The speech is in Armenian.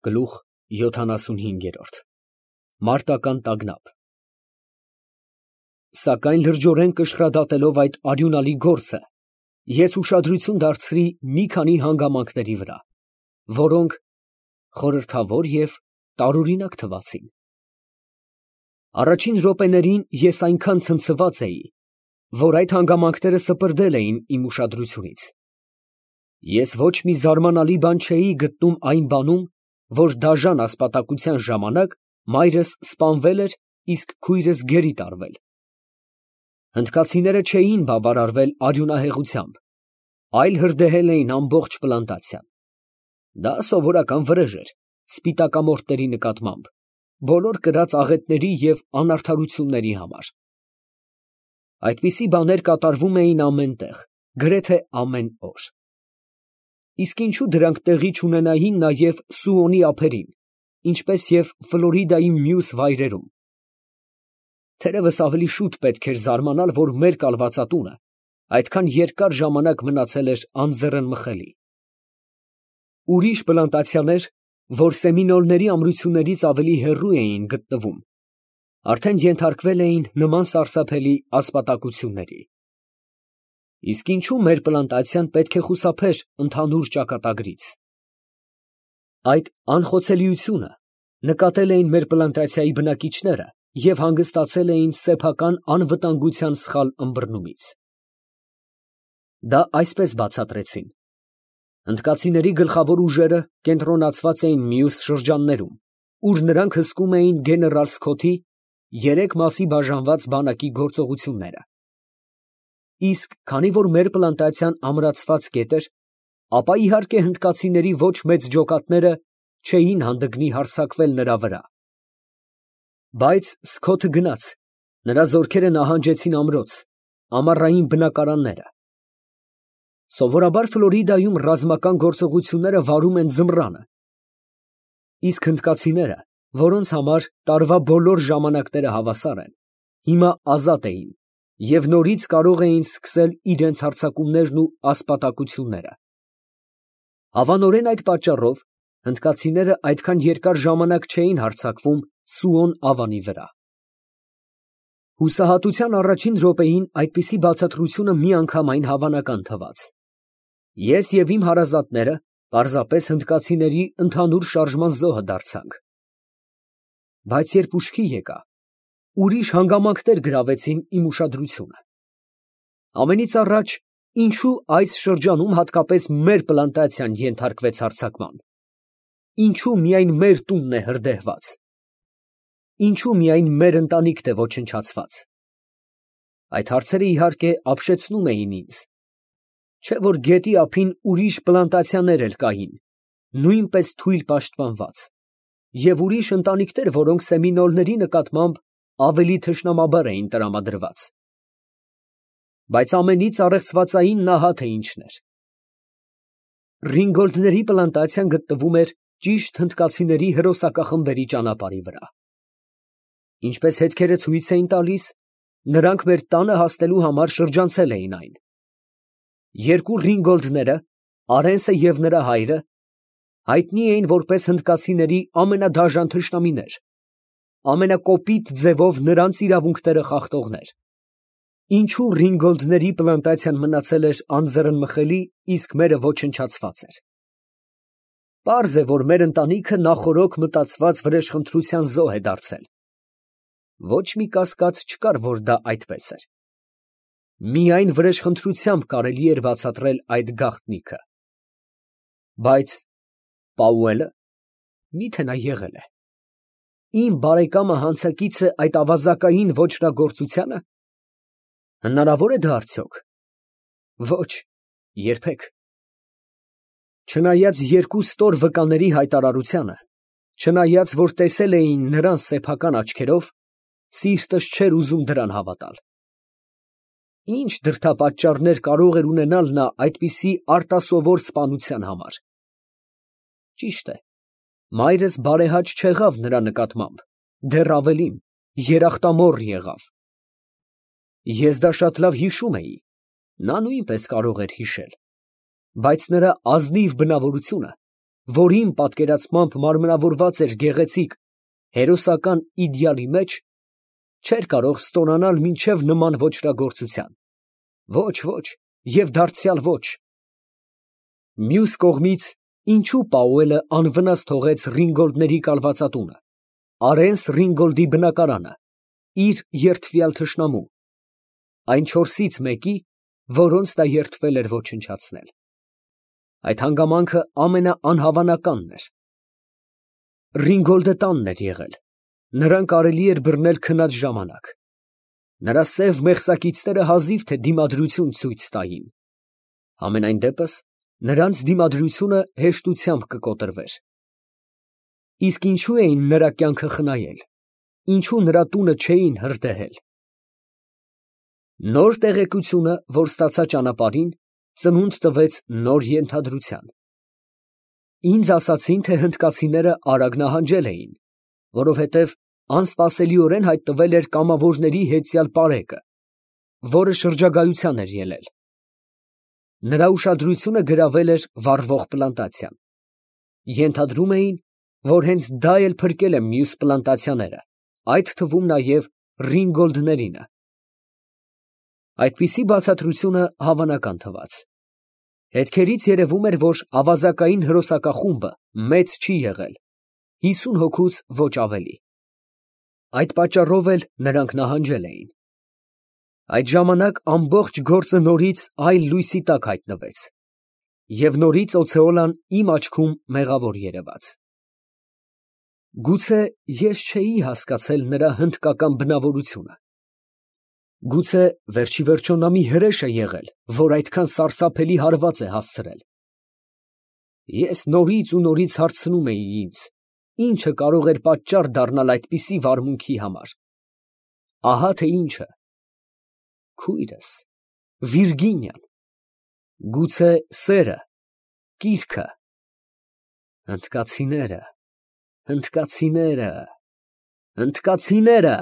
Գլուխ 75 Մարտական տագնապ։ Սակայն լրջորեն կշռադատելով այդ արյունալի գործը, ես ուշադրություն դարձրի մի քանի հանգամանքների վրա, որոնք խորհրդավոր և տարօրինակ թվացին։ Առաջին րոպեներին ես այնքան ցնցված էի, որ այդ հանգամանքները սպրդել էին իմ ուշադրությունից։ Ես ոչ մի զարմանալի բան չէի գտնում այն բանում, որ դաժան ասպատակության ժամանակ մայրս սպանվել էր, իսկ քույրս գերի տարվել։ Հնդկացիները չէին բավարարվել արյունահեղությամբ, այլ հրդեհել էին ամբողջ պլանտացիան։ Դա սովորական վրեժ էր սպիտակամորթների նկատմամբ, բոլոր կրած աղետների և անարդարությունների համար։ Այդպիսի բաներ կատարվում էին ամեն տեղ, գրեթե ամեն օր։ Իսկ ինչու դրանք տեղի չունենային նաև Սուոնի ափերին, ինչպես և Ֆլորիդայի մյուս վայրերում։ Թերևս ավելի շուտ պետք էր զարմանալ, որ մեր կալվածատունը այդքան երկար ժամանակ մնացել էր անձեռնմխելի։ Ուրիշ պլանտացիաներ, որ սեմինոլների ամրություններից ավելի հեռու էին գտնվում, արդեն ենթարկվել էին նման սարսափելի ասպատակությունների։ Իսկ ինչու մեր պլանտացիան պետք է խուսափեր ընդհանուր ճակատագրից։ Այդ անխոցելիությունը նկատել էին մեր պլանտացիայի բնակիչները և հանգստացել էին սեփական անվտանգության սխալ ըմբռնումից։ Դա այսպես բացատրեցին. հնդկացիների գլխավոր ուժերը կենտրոնացված էին մյուս շրջաններում, ուր նրանք հսկում էին գեներալ Սքոթի 3 մասի բաժանված բանակի գործողությունները։ Իսկ քանի որ մեր պլանտացիան ամրացված կետ էր, ապա իհարկե հնդկացիների ոչ մեծ ջոկատները չէին հանդգնի հարձակվել նրա վրա։ Բայց Սքոթը գնաց, նրա զորքերը նահանջեցին ամրոց, ամառային բնակարանները։ Սովորաբար Ֆլորիդայում ռազմական գործողությունները վարում են ձմռանը, իսկ հնդկացիները, որոնց համար տարվա բոլոր ժամանակները հավասար են, հիմա ազատ էին և նորից կարող էին սկսել իրենց հարձակումներն ու ասպատակությունները։ Հավանորեն այդ պատճառով հնդկացիները այդքան երկար ժամանակ չէին հարձակվում Սուոն ավանի վրա։ Հուսահատության առաջին րոպեին այդպիսի բացատրությունը միանգամայն հավանական թվաց։ Ես և իմ հարազատները պարզապես հնդկացիների ընդհանուր շարժման զոհը դարձանք։ Բայց երբ ուշքի եկա, ուրիշ հանգամանքներ գրավեցին իմ ուշադրությունը։ Ամենից առաջ, ինչու այս շրջանում հատկապես մեր պլանտացիան ենթարկվեց հարձակման։ Ինչու միայն մեր տունն է հրդեհված։ Ինչու միայն մեր ընտանիքն է ոչնչացված։ Այդ հարցերը իհարկե ապշեցնում էին ինձ։ Չէ՞ որ գետի ափին ուրիշ պլանտացիաներ էլ կային, նույնպես թույլ պաշտպանված, և ուրիշ ընտանիքներ, որոնք սեմինոլների նկատմամբ ավելի թշնամաբար էին տրամադրված։ Բայց ամենից առեղծվածային նա թե ինչն էր։ Ռինգոլդների պլանտացիան գտնվում էր ճիշտ հնդկացիների հրոսակախմբերի ճանապարհի վրա։ Ինչպես հետքերը ցույց էին տալիս, նրանք մեր տանը հասնելու համար շրջանցել էին այն։ Երկու Ռինգոլդները, Արենսը և նրա հայրը, հայտնի էին որպես հնդկացիների ամենադաժան թշնամիներ, ամենակոպիտ ձևով նրանց իրավունքները խախտողներ։ Ինչու Ռինգոլդների պլանտացիան մնացել էր անձեռնմխելի, իսկ մերը ոչնչացված էր։ Պարզ է, որ մեր ընտանիքը նախօրոք մտածված վրեժխնդրության զոհ է դարձել։ Ոչ մի կասկած չկար, որ դա այդպես էր։ Միայն վրեժխնդրությամբ կարելի էր բացատրել այդ գաղտնիքը։ Բայց Պաուելը, մի՞թե նա եղել է։ Իմ բարեկամը հանցակիցը այդ ավազակային ոճրագործությա՞նը։ Հնարավոր է դա արդյոք։ Ոչ, երբեք։ Չնայած երկու ստոր վկաների հայտարարությանը, չնայած որ տեսել էին նրան սեփական աչքերով, սիրտս չէր ուզում դրան հավատալ։ Ինչ դրդապատճառներ կարող էր ունենալ նա այդպիսի արտասովոր սպանության համար։ Ճիշտ է, մայրս բարեհաճ չեղավ նրա նկատմամբ, դեռ ավելին, երախտամոռ եղավ։ Ես դա շատ լավ հիշում էի, նա նույնպես կարող էր հիշել, բայց նրա ազնիվ բնավորությունը որին պատկերացմամբ մարմնավորված էր գեղեցիկ հերոսական իդեալի մեջ, չէր կարող ստոնանալ մինչև նման ոճրագործության։ Ոչ, ոչ և դարձյալ ոչ։ Մյուս կողմից, ինչու Պաուելը անվնաս թողեց Ռինգոլդների կալվածատունը, Արենս Ռինգոլդի բնակարանը, իր երդվյալ թշնամու, այն չորսից մեկի, որոնց նա երդվել էր ոչնչացնել։ Այդ հանգամանքը ամենաանհավանականն էր։ Ռինգոլդը տանն էր եղել, նրան կարելի էր բռնել քնած ժամանակ։ Նրա սև մեղսակիցները հազիվ թե դիմադրություն ցույց տային։ Համենայն դեպս, նրանց դիմադրությունը հեշտությամբ կկոտրվեր։ Իսկ ինչու էին նրա կյանքը խնայել, ինչու նրա տունը չէին հրդեհել։ Նոր տեղեկությունը, որ ստացա ճանապարհին, ծնունդ տվեց նոր ենթադրության։ Ինձ ասացին, թե հնդկացիները արագ նահանջել էին, որովհետև անսպասելիորեն հայտնվել էր կամավորների հետյալ պարեկը, որը շրջագայության էր ելել։ Նրա ուշադրությունը գրավել էր վառվող պլանտացիան։ Ենթադրում էին, որ հենց դա էլ փրկել է մյուս պլանտացիաները, այդ թվում նաև Ռինգոլդներինը։ Այդպիսի բացատրությունը հավանական թվաց։ Հետքերից երևում էր, որ ավազակային հրոսակախումբը մեծ չի եղել, 50 հոգուց ոչ ավելի։ Այդ պատճառով էլ նրանք նահանջել էին։ Այդ ժամանակ ամբողջ գործը նորից այլ լույսի տակ հայտնվեց, և նորից Օցեոլան իմ աչքում մեղավոր երևաց։ Գուցե ես չէի հասկացել նրա հնդկական բնավորությունը։ Գուցե վերջիվերջո նա մի հրեշ է եղել, որ այդքան սարսափելի հարված է հասցրել։ Ես նորից ու նորից հարցնում էի ինձ, ինչը կարող էր պատճառ դառնալ այդպիսի վարմունքի համար։ Ահա թե ինչը։ Քույրս, Վիրգինիան, գուցե սերը, կիրքը, հնդկացիները, հնդկացիները, հնդկացիները։